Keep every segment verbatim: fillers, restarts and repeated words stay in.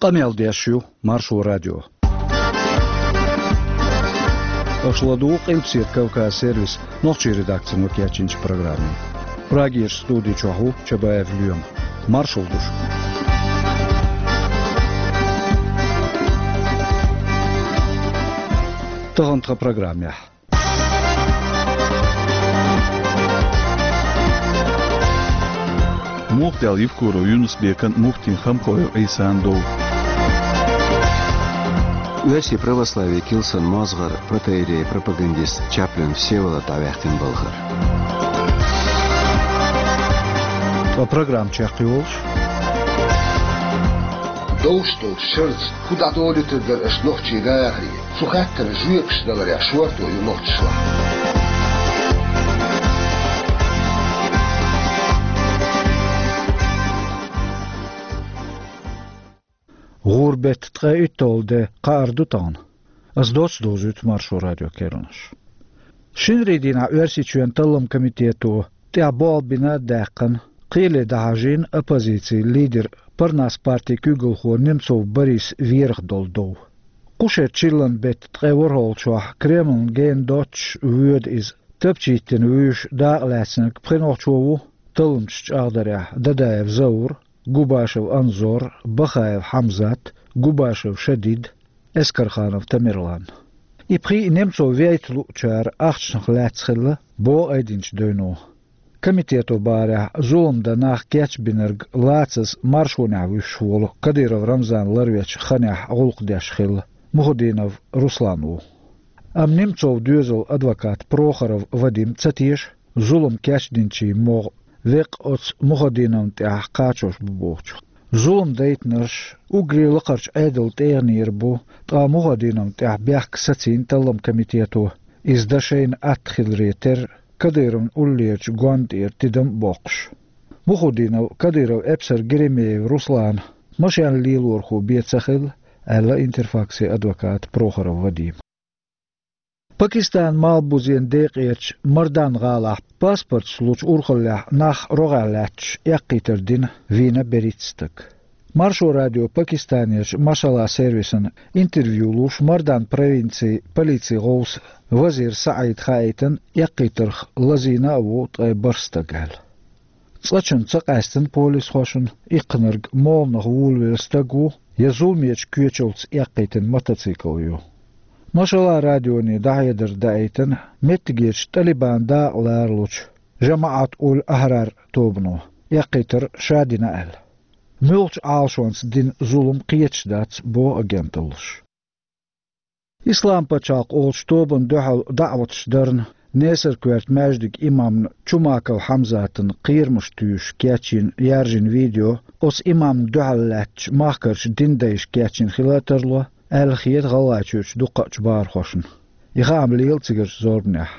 Къамел деш ю Маршо радио. Аша ладугӀу Къилбаседа Кавказ сервисан нохчийн редакцино кечйинчу программе. Прагерчу студи чохь ву Чабаев Лоьма. Маршалла ду шуьга. Тахана тхан программехь. Муха даьлла Евкуров Юнус-Бекан, муфтин Хамхоев Ӏийсан дов? Оьрсийн православийн килсан мозгӀар, протоиерей, пропагандист Чаплин Всеволод дӀаваьккхина балхара. Ткъа программа чекхйолуш. Довш долчу шарца хӀун дӀадолуьйтур дара аша нохчийн дахаре? Цу хаттарна жоьпаш даларехь шорто ю нохчашлахь. ГӀуран беттан ткъе уьтталгӀа де кхаьар ду тахана. Ас доцца довзуьйту Маршо радион керланаш. Шинарин дийнахь Оьрсийчоьнан талламан комитето тӀехь болх бина а даьккхина, кхеле дӀахьажийна оппозицин лидер, Парнас партин куьйгалхо Немцов Борис верах долу дов. Кху шеран чиллан беттан ткъе ворхӀалгӀачохь Кремлна гена доццуш воьду иза. Тапча йиттина вуьйш дакъалаьцнарг пхи нохчо ву, талламчаш чӀагӀдарехь, Дадаев Заур, Губашев Анзор, Бахаев Хьамзат, Губашев Шадид, Эскарханов Тамерлан. И пхиъ Немцов вейта луучара ахчанах лаьцна хилла, боху айдинчу девно. Комитето бахарехь, зулам дан нах кечбинарг лацаза маршонехь вуьсуш волу Кадыров Рамзан ларвечу ханехь гӀуллакх деш хилла Мухудинов Руслан ву. Амма Немцовн доьзалан адвокат Прохоров Вадим ца теша, зулам кечдинчийн могӀа веккъа оцу Мухудиновна тӀехь кхачош бу бохучух. Зулам дайтинарш уггаре лакхарчу Ӏедалан тӀегӀанера бу, ткъа Мухудиновна тӀехь бехк сацийна талламан комитето, иза дан шайна атта хиларе терра, Кадыровн уллерчу гонна тӀера тидам а боккхуш. Мухудинов Кадыров эпсар Геремеев Руслана машен лелорхо бен ца хилла, аьлла Интерфаксин адвоката Прохоров Вадима. Пакистанан малхбузен декъерчу Мардан-гӀалахь паспорташ лучу урхаллехь нах рогӀехь лаьтташ эккхийтар дина вийна берхӀитта стаг. Маршо радио Пакистанерчу Машалла сервисана интервью луш Мардан провинцин полицин гӀовса Вазир СаӀида хаийтина, эккхийтарх лазийна а ву ткъе бархӀ стаг аьлла. Цкъачунна ца къаьстина полисхошна, иккхинарг молханах волавелла стаг ву, я зуламечу коьчалц эккхийтина мотоцикл ю. Машалла радионе дӀахьедар даийтина, меттигерчу ТӀалибан дакъа ларалучу ЖамаӀат уль-Ахьрар тобано эккхийтар ша дина аьлла. Муьлхачу Ӏалашонца дина зулам кхеташ дац, боху агенталлаша. Ислам-пачхьалкх олучу тобанна дуьхьал даӀваташ дарна, Несар-коьрта маьждиган имамна Чумаков Хьамзатан кхерамаш туьйсуш кечйина, яьржина видео оцу имамна дуьхьал лаьттачу махкарчу динан дайша кечйина хила а тарло, аьлла хета ГӀалгӀайчуьрчу дуккхачу бахархошна. И хаам лела цигарчу зорбанехь.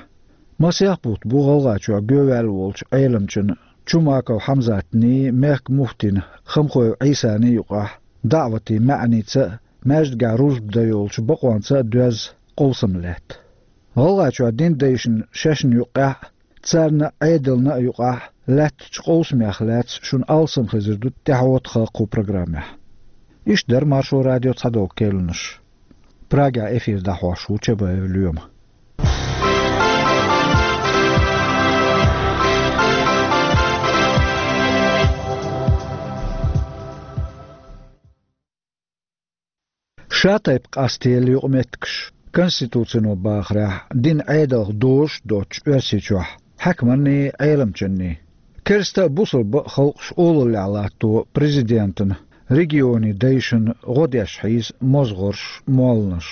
Масех бутт бу ГӀалгӀайчохь гоьваьлла волчу Ӏеламчун Чумаков Хьамзатний, мехкан муфтин Хамхоев Ӏийсаний юкъахь даӀватийн маьӀница а, маьждигехь рузба дан йолчу бакъонца а доьзна къовсам лаьтта. ГӀалгӀайчохь динан дайшна шайшна юккъехь а, царна а, Ӏедална а юкъахь лаьттачу къовсамех лаьцна шуна алсам хезар ду тӀаьхьо тхан кху программехь. Иштта дара Маршо радион цхьадолу керланаш. Прагехь эфир дӀахьош ву Чабаев Лоьма. Шатайпа къастелла юкъаметтигаш, конституцино бахарехь, динан Ӏедалх дозуш а доцуш Оьрсийчохь, хьаькаманний, Ӏеламчанний. Керста а, бусалба а халкъаш олаллехь латто президентана, регионийн дайшна гӀо деш хьийза мозгӀарш, молланаш.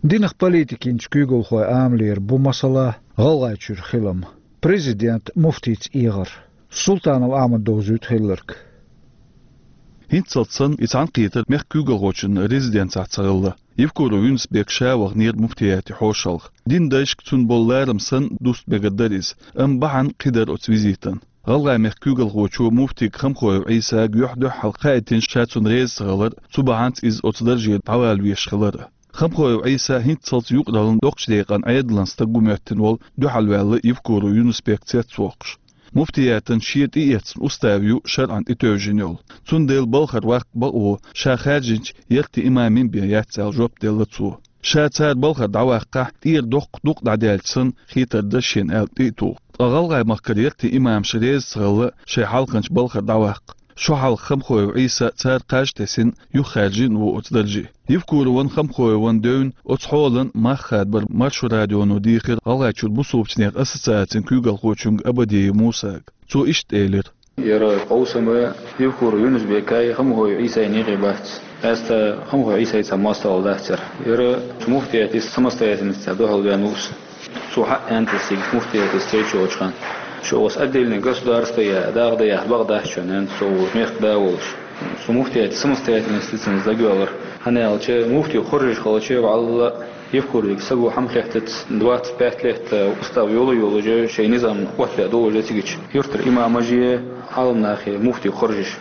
Динах политикин куьйгалхойн амалера бу масала ГӀалгӀайчуьра хилам, президент муфтийца эгӀар. Султанов Ахьмада довзуьйту хилларг. ХӀинццалц санна и цхьаьнакхетар мехкан куьйгалхочун резиденцехь ца хилла. Евкуров Юнус-Бек ша ваханера муфтияте хьошалгӀа. Динан дайшка цунна болу ларам санна, дуста мегар дара иза, амма бахьана кхидӀа дара оцу визитан. ГӀалгӀай-мехкан куьйгалхочо муфтийга Хамхоев Ӏийсага юьхь-дуьхьал хаийтина ша цунна реза ца хилар, цу бахьанца иза оцу дарже дӀавала везаш хилар. Хамхоев Ӏийса хӀинццалц юкъараллин доккхачу декъан Ӏедалан стаг ву моьттина волу дуьхьалваьлла Евкуров Юнус-Бек цецвоккхуш. Муфтиятан шен тӀеэцна устав ю шарӀан тӀетевжина йолу. Цундела балхара ваккха бакъо ша хаьржинчу яртан имамийн бен яц аьлла жоп делла цо. Ша цара балхара дӀаваккхахь, тӀера доккха дукъ дӀадаьлча санна хетар дара шена аьлла тӀе а туху. Ткъа ГӀалгӀай махкара яртан имамаш реза ца хилла шайн хьалханчу балхара дӀаваккха. Шо хьалха Хамхоев Ӏийса цара кхаж тесина юхахьаьржина ву оцу дарже. Евкурован, Хамхоеван девнна оцу хьолан мах хадабар Маршо радионо дийхира ГӀалгӀайчуьра бусулбачу нехан ассоциацин куьйгалхочуьнга Абадиев Мусага. Цо иштта элира: «Яра къовсам Евкуров Юнус-Бекай, Хамхоев Ӏийсайн некъе бац. Аста Хамхоев Ӏийсай цхьа мостагӀалла дац яра. Яра муфтиятан самостоятельностьца дуьхьал ваьнна ву ас. Цо хьаьнтасиг муфтиятан стрейч йолчу ханна. Шо аса отдельное государство я, дагӀа дан яхьа бакъ дац шуна, аьнна, со ву мехкан да волуш. Со муфтиятан самостоятельностьца дагавеллар. ХӀана аьлча муфти хоржуш хилча, валла, Евкуровга саго хьама хеттац, двадцать пять лет устав йолу а йолуш, шайн низам оттаваь долуш цигачу юьртара имамаш а, Ӏаламнах а муфти хоржуш».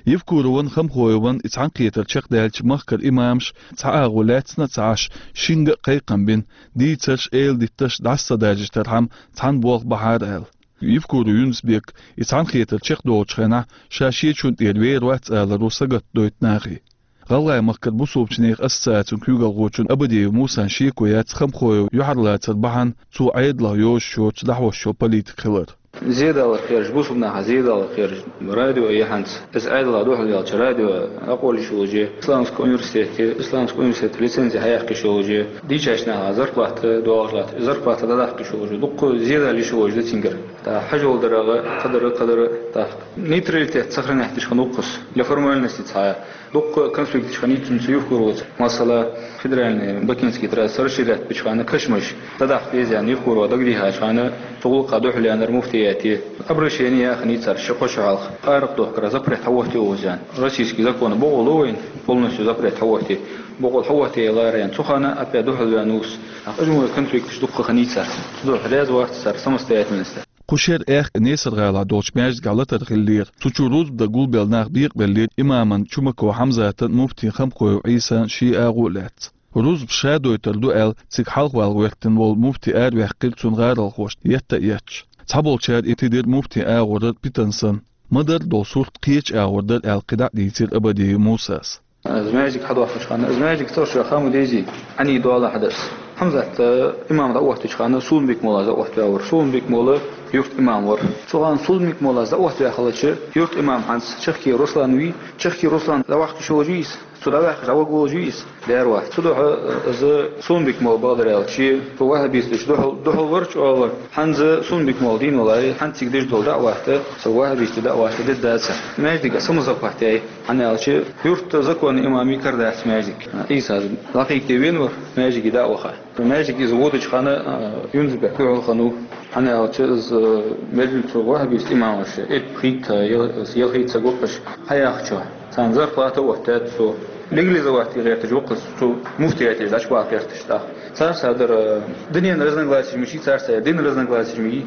Евкурован, Хамхоеван и цхьаьнакхетар чекхдаьлча, махкара имамаш цхьа агӀо лаьцна а ца Ӏаш, шинга а кхайкхам бина, дийцарш, эладитташ дӀаса ца даржийтархьама цхьаьна болх бахьара аьлла. Евкуров Юнус-Бека и цхьаьнакхетар чекхдолучу хенахь ша шечунна тӀера вер вац аларо сагатдойту нахе. ГӀалгӀай махкара бусулбачу нехан ассоциацин куьйгалхочун Абадиев Мусан шеко яц Хамхоев юьхьарлацар бахьана цо Ӏедалах йозуш йоцу дӀахьош йолу политик хилар. Зедаларх кхераш, бусулба нахах зедаларх кхераш радио а яхьанца, иза Ӏедалах дуьхьал яьлча радио а къоллуш йолуш, исламский университете, исламский университет лицензи хьаяьккхиш йолуш, дийчачу нахах зарплата доагӀаш латта, зарплата дӀадаккхиш йолуш, дуккха зедал йиш йолуш ду цуьнгара. ТӀаккха хьажол дарагӀа, кхадара, кхадара, тӀаккха нейтралитет сохранять деш хӀун ву-кх ас, для формальности цхьа. Дуккха конфликташ хинийта цуьнца Евкуровца. Масала, федеральный Бакинский трасса расширять бечу хенахь кашамаш дӀадаккха деза аьлла Евкурова дагадехначу хенахь, цу гӀуллакхах дуьхьал яьннера муфтияте. Обращение яьхна йицара ши-кхо шо хьалха. Къаракъ дохкара запрет хьахӀоттайо оза аьлла. Российский законо бокъо ло вайна, полностью запрет хьахӀоттае. Бокъо хьахӀоттаялара аьлла. Цу хенахь опять дуьхьал ваьнна ву ас. Ткъа хӀара конфликташ дуккха хинийта цара. Цу дуьхьа реза вац цара самостоятельностьца. Кху шеран аьхка Несар-гӀалахь долчу маьждигехь латар хиллера. Цу чуьра рузба дан гулбелла нах бекъабеллера имаман Чумаков Хьамзатан, муфтин Хамхоев Ӏийсан шен агӀо а лаьцна. Рузба ша дойтур ду аьлла, цига хьалхавала гӀоьртина волу муфти араваьккхира цуьнан гӀаролхошна етта а етташ. Цхьаболчара и тидира муфтин агӀоран питана санна. Ма-дарра долу сурт кхечу агӀор дара аьлла кхидӀа а дийцира Абадиев Мусас. Иза маьждиг хьадоьхкучу хенахь, иза маьждиг цӀарах ша хама дезий, Ӏаний дола хьадас. Хьамзат, э, имам дӀаоттучу хенахь Сулумбик-моллас дӀаоттаваьлла вара. Сулумбик-молла юрт имам вара. Цу хенахь Сулумбик-моллас дӀаоттаваьлла хилча, юрт имам хьанца Чехкий Руслан вий, Чехкий Руслан дӀаваккха йиш йолуш вий иза? Цо дӀаваьккхича, дӀаваха волуш вий иза? Дера вац. Цудухьа иза Сулумбик-молла бакъдар аьлча, цу ваххабисташ дуьхьал, дуьхьал вара чӀогӀа. ХӀинца Сулумбик-молла дийна валаре, хӀинца цига деш долу даӀват, со ваххабистийн даӀват дедда ца. Маьждиг а самозахват яй. ХӀана аьлча, юьртан законан имамийн кара дац маьждиг. Ӏийса дӀакхайкхий вен вара, маьждиге дӀа а ваха. Маьждиге иза водучу хенахь, а, Юнус-Бек дуьхьал хинна ву. ХӀана аьлча, иза, а, мел цу ваххабистийн имамаша, эппа хийтта, ял-, ялхитта ца гуппаш, хьаяхчо. Царна зарплата а оттаьд цо. Легализовать де гӀерташ ву-кх иза, цу муфтиятехь дӀачубаха гӀерташ тӀаккха. Царца дара, а, динан разногласияш мичий царца, динан разногласияш мичий.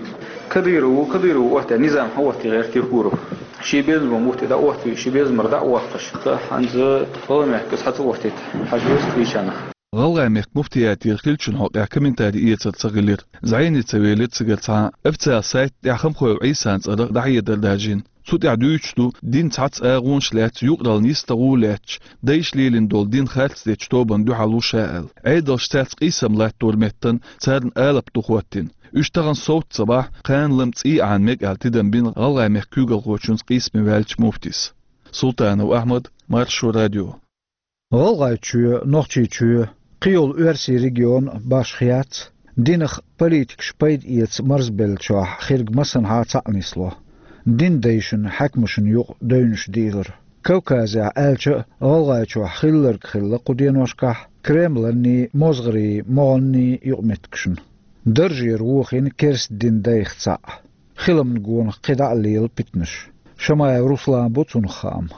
Кадыров ву, Кадыров ву оттаьд, низам хьаотта гӀерта Евкуров. Шен безамо муфти дӀаоттаве, шен безамара дӀа а воккхуш. Ткъа хӀинца гӀалгӀай мехкаца хьаца оттийта хьажа веза кхечанах. ГӀалгӀай мехкан муфтиятера хиллачун хьокъехь комментарий эцар ца хилира. ЗӀене ца велира цигара цхьа а. Официал сайта тӀехь Хамхоев Ӏийсан цӀарах дӀахьедар даржийна. Цу тӀехь дуьйцуш ду, динан цхьацца агӀонаш лаьцна, юкъараллин йистехь гӀо лаьцначу, дайша лелийна долу дин харц дечу тобанна дуьхьал ву ша аьлла. Ӏедалша цаьрца къийсам латтор меттана царна алапа ду хӀоттийна. Уьш тахана совца ца бахь, кхана-лама цӀий Ӏана мега аьлла тидам бина ГӀалгӀай мехкан куьйгалхочуьнца къийсаме ваьллачу муфтис. Султанов Ахьмад, Маршо радио. ГӀалгӀайчоь, Нохчийчоь, кхийолу оьрсийн регион башха яц, динах политикаша пайда эца марзбеллачохь хирг массанхьа цхьаъ нисло. Дин дайшна, хьаькамашна юкъа девнаш дийлар. Кавказехь аьлча а, ГӀалгӀайчохь хилларг хилла кху деношкахь Кремланний, мозгӀарийн могӀанний юкъаметтигашна. Даржера вохийна керста дин дайх цхьаъ. Хиламна гонах кхидӀа а лела питанаш. Шамаев Руслан бу цунах хаам.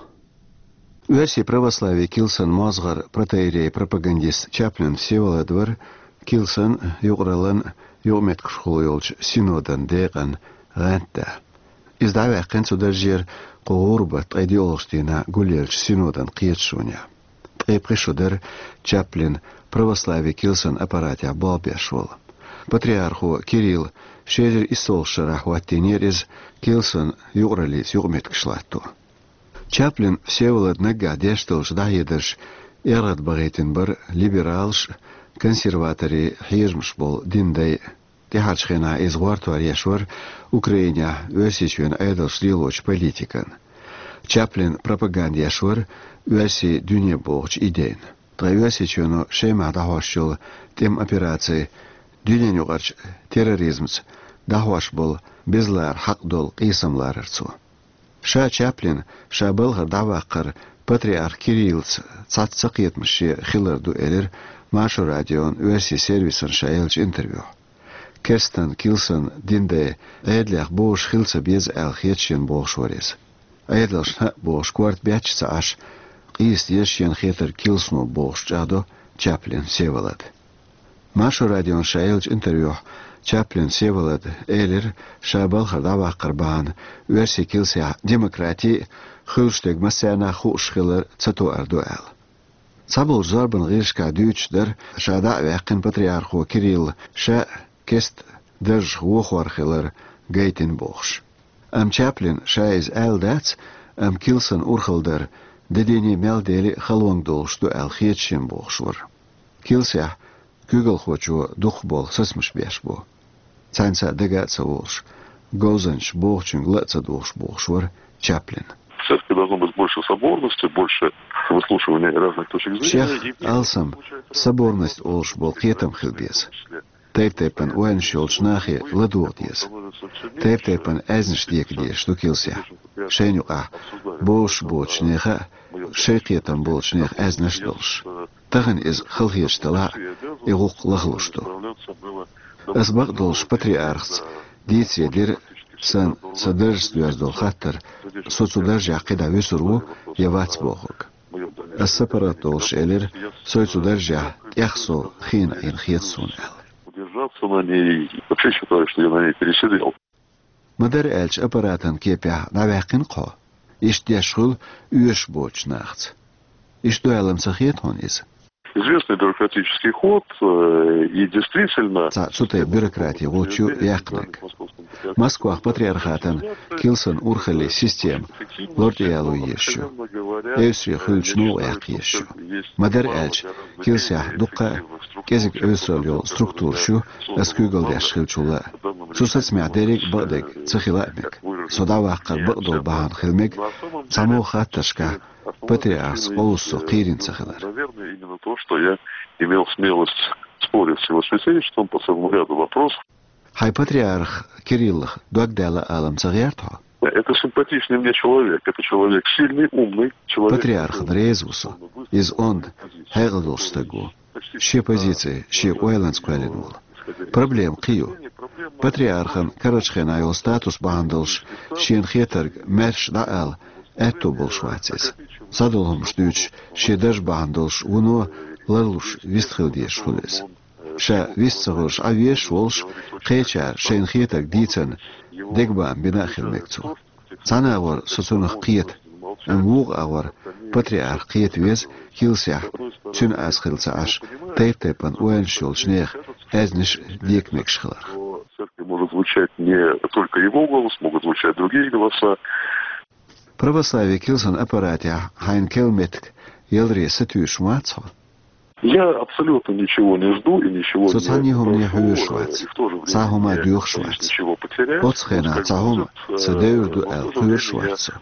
Оьрсийн православийн килсан мозгӀар, протоиерей-пропагандист Чаплин Всеволод вара килсан, юкъараллин юкъаметтигашхула йолчу синодан декъан гӀантда. Иза дӀаваьккхина цу даржера кху гӀурба ткъе диъолгӀачу дийнахь гулъеллачу синодан кхеташонехь. Ткъе пхи шо дара Чаплин православийн килсан аппаратехь болх беш волу. Патриархо Кирилл ши эзар иссалгӀача шарахь хӀоттийнера иза Килсан юкъараллица юкъаметтигаш латто. Чаплин Всеволод наггахь деш долчу дӀахьедарш эргӀадбахийтина бара либералаш а, консерваторийн хьежамаш болу динан дай а. ТӀаьхьарчу хенахь иза гӀортор еш вара Украинехь Оьрсийчоьнан Ӏедалша лелочу политикан. Чаплин пропаганда еш вара оьрсийн дуьне бохучу идейна. Ткъа Оьрсийчоьно Шемахь дӀахьош йолу тӀеман операци дуьненан юкъарчу терроризмца дӀахьош болу безалара хьакъ долу къийсам ларар цо. Ша Чаплин ша балхара дӀаваккхар патриарх Кириллца цхьацца цакхетамаш шен хилар ду, элира Маршо радион оьрсийн сервисан ша еллачу интервьюхь. Керстан Килсан динан дай Ӏедалех бовзуш хила ца беза аьлла хета шена бохуш вара иза. Ӏедалшна хӀаъ бохуш корта бетташ ца Ӏаш, къийса деза шена хетарг Килсано бохуш чӀагӀдо Чаплин Всеволода. Маршо радион ша еллачу интервьюхь Чаплин Всеволода элира, ша балхара дӀаваккхар бахьана оьрсийн килсехь демократи а, хуьлуш дерг массарна а хууш хилар ца тоар ду аьлла. Цхьаболчу зорбанан гӀирсашкахь дуьйцуш дара, ша дӀа а ваьккхина патриархо Кирилла ша а керста даржах вохор хилар гайтина бохуш. Амма Чаплина ша иза аьлла дац, амма Килсан урхалла дар де дийне мел дели а халонга долуш ду аьлла хета шена бохуш вара. Килсехь куьйгалхочо дукхахболу сацамаш беш бу. Цхьаьнца а дага а ца волуш, говзанчаша бохучуьнга ла а ца дугӀуш бохуш вара Чаплин. В церкви должно быть больше соборности, больше выслушивания разных точек зрения. Шех алсам соборность олуш болу кхетам хила беза. Тайп-тайпана ойланаш йолчу нахе ладогӀа деза. Тайп-тайпана аьзнаш дека дезаш ду килсехь. Шайна юкъахь бовзуш боцучу нехан а, шайн кхетам болчу нехан аьзнаш а долуш. Тахана иза халахеташ делахь а, и гӀуллакх лахалуш ду. Ас бакъдолуш патриархаца дийцаре дира сан сан даржаца доьзна долу хаттар, со цу даржехь кхидӀа вуьсур ву я вац бохург. Ас сан паргӀат долуш элира, со цу даржехь тӀех сов хиъна Ӏийна хета суна аьлла. Удержаться на ней, вообще считаю, что я на ней пересидел. Ма-дарра аьлча аппаратан кепехь дӀаваьккхина-кх хьо. Иштта деш хуьлу оьшуш боцучу нахаца. Иштта ду аьлла-м ца хета хьуна иза? Известный бюрократический ход, э, и действительно... Цхьа цу тайпа бюрократин гӀулч ю яьккхинарг. Москвахь патриархатан килсан урхаллин система лор тӀе яло езаш ю. Эвсаре хуьлучу новкъа яккха езаш ю. Ма-дарра аьлча, килсехь дуккха а кӀезиг эвсаралла йолу структураш ю, ас куьйгалла деш хиллачул а. Цу сацамехь дерриг а бакъдерг ца хила а мега. Со дӀаваккхар бакъдолу бахьана хила мега, цхьамогӀа хаттаршкахь патриархаца къовса со кхийрина ца хилар. Наверное, именно то, что я имел смелость спорить с его святейшеством по целому ряду вопросов. Хьайн патриарх Кириллах дог даьлла ала-м ца гӀерта хьо? Это симпатичный мне человек. Это человек сильный, умный человек. Патриархана реза ву со. Иза онда, хьекъал долуш стаг ву. Шен позици, шен ойланца кхоьллина волу. Проблема кхин ю. Патриархан карарчу хенахь йолу статус бахьана долуш шена хетарг маьрша дӀаала аьтто болуш вац иза. Садолу хӀуманаш дуьйцуш, шен дарж бахьана долуш вуно ларлуш вистхила дезаш хуьлу иза. Ша вист ца хуьлуш Ӏа везаш волуш, кхечара шайна хетарг дийцарна дегабаам бина а хила мега цо. Цхьана агӀор со цунах кхета, амма вукху агӀор патриарх кхета веза килсехь, цуьнан аз хилла ца Ӏаш, тайп-тайпана ойланаш йолчу нехан аьзнаш дека мегаш хиларх. В церкви может звучать не только его голос, могут звучать другие голоса. Православие килсан аппаратехь хьайна керла меттиг яларе сатуьйсуш ма вац хьо? Я абсолютно ничего не жду и ничего не прошу. Со цхьанна а хӀумане хьоьжуш вац, цхьа а хӀума доьхуш вац. Оццу хенахь цхьа хӀума сан девр ду аьлла кхоьруш вац со.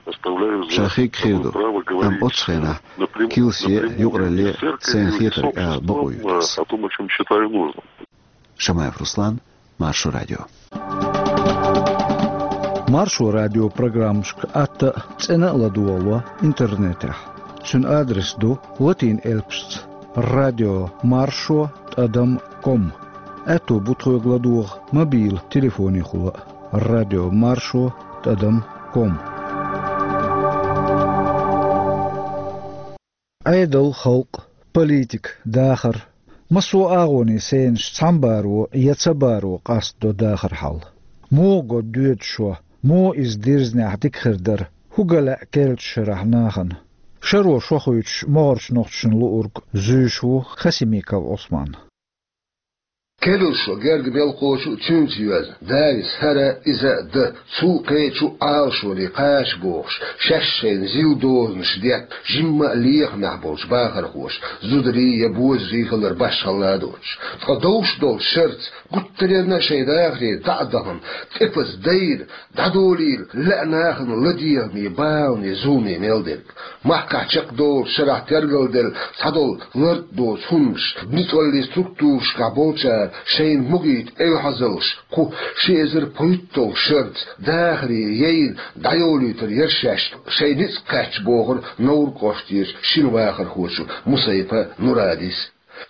Ша хиг хир ду, амма оццу хенахь килсе а, юкъаралле а сайна хетарг ала бакъо юьйцу ас. Шамаев Руслан, Маршо радио. Маршо радио программашка атта а, цӀена а ладогӀало интернетехь. Цуьнан адрес ду латин элпашца: радио маршо тӀадам ком. Аьтто бу тхоьга ладогӀа мобил телефонехула а: радио маршо тӀадам ком. Ӏедал, халкъ, политика, дахар. Массо а агӀонийн сенаш цхьамбаро я цабаро къастадо дахар хьал. Муха го доьду шо, муха иза дирзинехь дика хир дара, хӀун го лаьа керлачу шарахь нахана? Шаро шо хуьйцуш, могӀарчу нохчашна луург зуьйш ву Хасимиков Ӏусман. Керла шо герга мел кхочу а цуьнца йоьзна, Дала хӀара иза а дан, цу кхечу Ӏалашоне кхача бохуш, шаьш шайна зил дозанаш детта, жимма а лехамехь болчу бахархоша, зударий я бозарий хилар башхалла а доцуш. Ткъа довш долчу шарца гуттаренна а шайн дахаре дӀа а дахана, тӀепаза дайна, дӀадолийла лаьа нахана ладегӀаме, балане, зуламе мел дерг. Махкахь чекхдолучу шарахь тергалделла цхьадолу лартӀа доцу хӀуманаш, ницкъаллин структурашкахь болчара шайна могийта эвхьазаллаш кху ши эзар пхуьйтталгӀа шарца дахаре яйна дӀайолуьйтур яра шаьш шайн ницкъ кхаьчча, бохура Невран кӀоштарчу шина вахархочо Мусаипа Нурадис.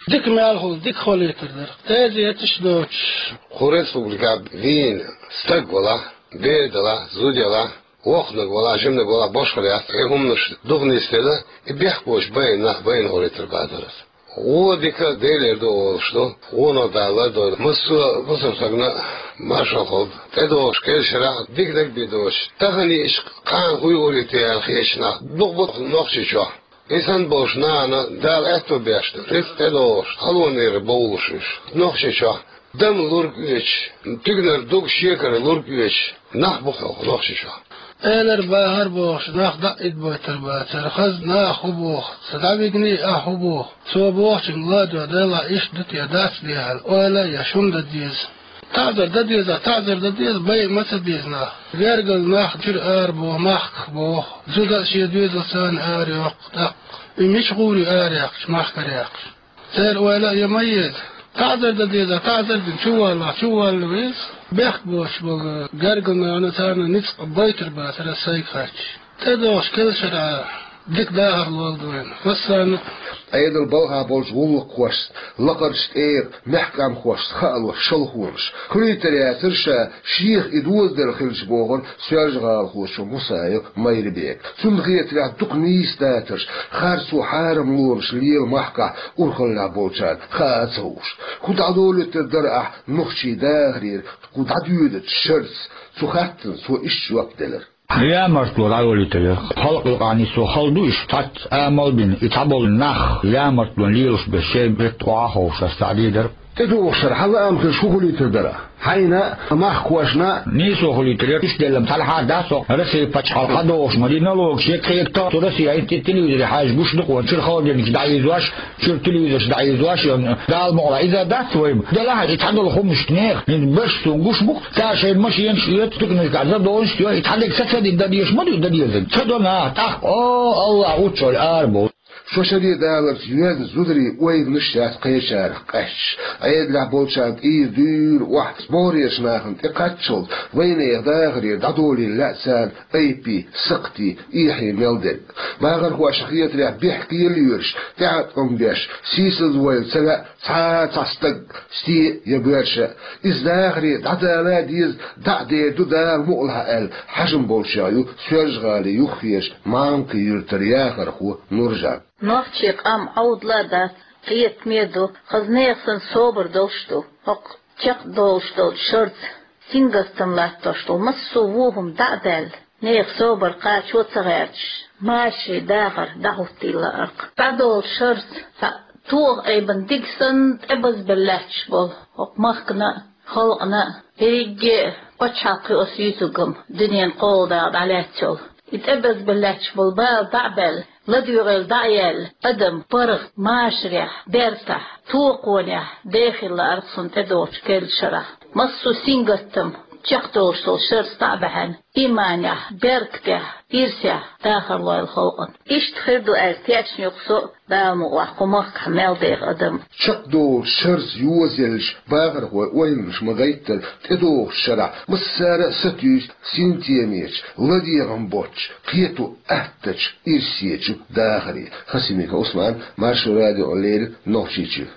Дика мел хуьлу, дика хилийтар дара. Тезеташ доцуш. Кху республикехь вийна стаг валахь, бер далахь, зуда ялахь, воккханиг валахь, жиманиг валахь, башхалла яц, и хӀуманаш дукха нисделла, и бехк боцуш байна нах байна хилийтар бацара аса. Вон дика Делера ду олуш ду, вонах Дала лардойла. Массо а бусалба стагана маршалла хуьлда. ТӀедогӀуш кхечу шарахь диканиг а бен доцуш, тахана иштта кхана хӀун юург ю те аьлла хеташ нах дукха бу Нохчийчохь. И санна болчу нахана Дала аьтто беш ду, рицкъ тӀедогӀуш, халонера бовлуш уьш. Нохчийчохь дама лург оьцуш, туьгнара дог шекара лург оьцуш нах бу хӀокху Нохчийчохь. Элар бахар бохуш, нах дӀа а идбойтар бацара, хаза наха хӀун боху, ца дӀавигний ахь хӀун боху, цо бохучуьнга ладо делахь иштта ду те, дац де аьлла, ойла а еш, хӀума дан деза. ТаӀзар дан деза, таӀзар дан деза, байа ма ца деза нах. Гергара нах чуьра ара боху, махках боху. Зуда а шен доьзалца ара йоккху, тӀаккха. И мича гӀур ю ара яьккхича, махкара яьккхича? Церан ойла а ян ма еза. ТаӀзар дан деза, таӀзар дина, чуваллахь, чувалла веза. Бехк боцуш болу гергара нахана царна ницкъ байтар бацара сайга хатта. ТӀедогӀуш кхечу шарахь дика дахар лолда вайна. Массарна а. Ӏедал балхахь болчу гӀуллакххошца, лакхарчу тӀера мехкамхошца хаалуш шалхонаш. Хуьлуьйтур яцара ша, шех и дозаделла хилча, бохура Соьлжа-ГӀалахочо Мусаев Майрбека. Цунна хетарехь дукха нийса дацарш, харцо, хьарам лорамаш лела махкахь урхаллехь болчарна хаа а ца хууш. ХӀун дӀадолуьйтур дара ахь нохчийн дахарера, кху дӀадоьдучу шарца? Цу хаттарна цо иштта жоп делира. Ямартло дӀайолуьйтур яра. Халкъ юкъахь нисо хала ду уьш, цхьацца амал а бина, и цхьаболу нах ямартло лелош берш шайн метта охьа а ховшаш схьадийр дара. ТӀедогӀуш шарахь хьан лаам хилча хӀун хуьлуьйтур дара? Хьайна а, махкахошна а? Нийсо хуьлуьйтур яра, иштта делла, цхьалха а ду со Россин пачхьалкха догӀуш ма дий, налогаш ян, кхетта, цу Россин телевизоре хьаьжча гуш ду-кх вайна, чуьра холодильникаш дӀаийзош, чуьра телевизорш дӀаийзош, Дала мукъалахь, иза дац вайна. Делахь и цхьадолу хӀуманаш нехан, хӀинца берш суна гуш бу-кх, цара шайна машенаш оьцу, туьканашкахь зӀе долуш йо, и цхьадерг са ца дина дан дезаш ма ду, дан дезарг ца до наха, тӀаккха, о, Аллах, уччохь ара бу. Шо шаре даларца йоьзна зударийн ойланаш яц кхечарах къаьсташ. Ӏедалехь болчарна тӀера дуьйна охьа, бохуречу нахана тӀекхаччалц, вайнехан дахарера дӀадолийла лаьа царна айпий, сакхтий, эхьий мел дерг. Бахархошна хетарехь, бехке лоьраш, тӀеӀаткъам беш, сийсазвойла ца лаьа цхьа а цхьа стаг, стен а я боьрша а. Иза дахаре дӀадала а деза, дӀа а дер ду Дала мукъалахь аьлла, хьажам болчех ю Соьлжа-ГӀалин юххерчу Малкан-Юьртара яхархо Нуржан. Нохчийн къам Ӏовдал а дац, кхетаме а ду, хаза нехан санна собар долуш ду. ХӀокху чекхдолуш долчу шарца сингаттам латтош долу массо а вон хӀума дӀа а даьлла, нехан собар кхачо а ца гӀерташ, машарийн дахар дӀахӀуттийла лаьара-кх. ДӀадолчу шарца цхьа тоха айбан диг санна тӀебазбелла лаьтташ болу хӀокху махкана а, халкъана а, ерриге а пачхьалкх ю аса юьйцург-м, дуьненан кхоалгӀа дакъа дӀалаьцна йолу. И тӀебазбелла лаьтташ болу бала дӀа а баьлла, ладоьгӀийла дӀа а яьлла, адам паргӀат машарехь, бертахь, токхонехь дехийла лаьара-кх суна тӀедогӀучу керла шарахь. Массо а сингаттам чекхдолуш долу шарца дӀа а баьхьна, ийманехь, беркатехь, ирсехь дахар лойла халкъана. Иштта хир ду аьлла тешна ю-кх со а, Дала мукъалахь, кху махкахь мел деха адам. Чекхдолучу шарца йозаеллачу бахархойн ойланаш ма-гайттара, тӀедогӀучу шарахь массара а сатуьйсу синтемечу, ладегӀам боцчу, кхето аттачу ирсечу дахаре. Хасимиков Усман, Маршо радиона леррина, Нохчийчуьра.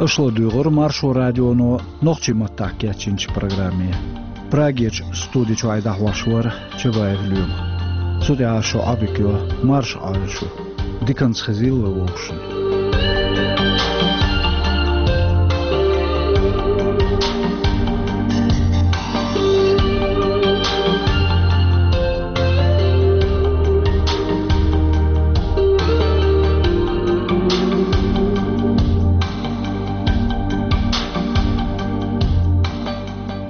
Аша ладуьйгӀира Маршо радионо нохчийн маттахь кечйинчу программе. Прагерчу студи чуьра дӀахьош вара Чабаев Лоьма. Цу тӀехь шун Ӏодика йо, марша Ӏойла шу. Диканца хезийла вай вовшашна.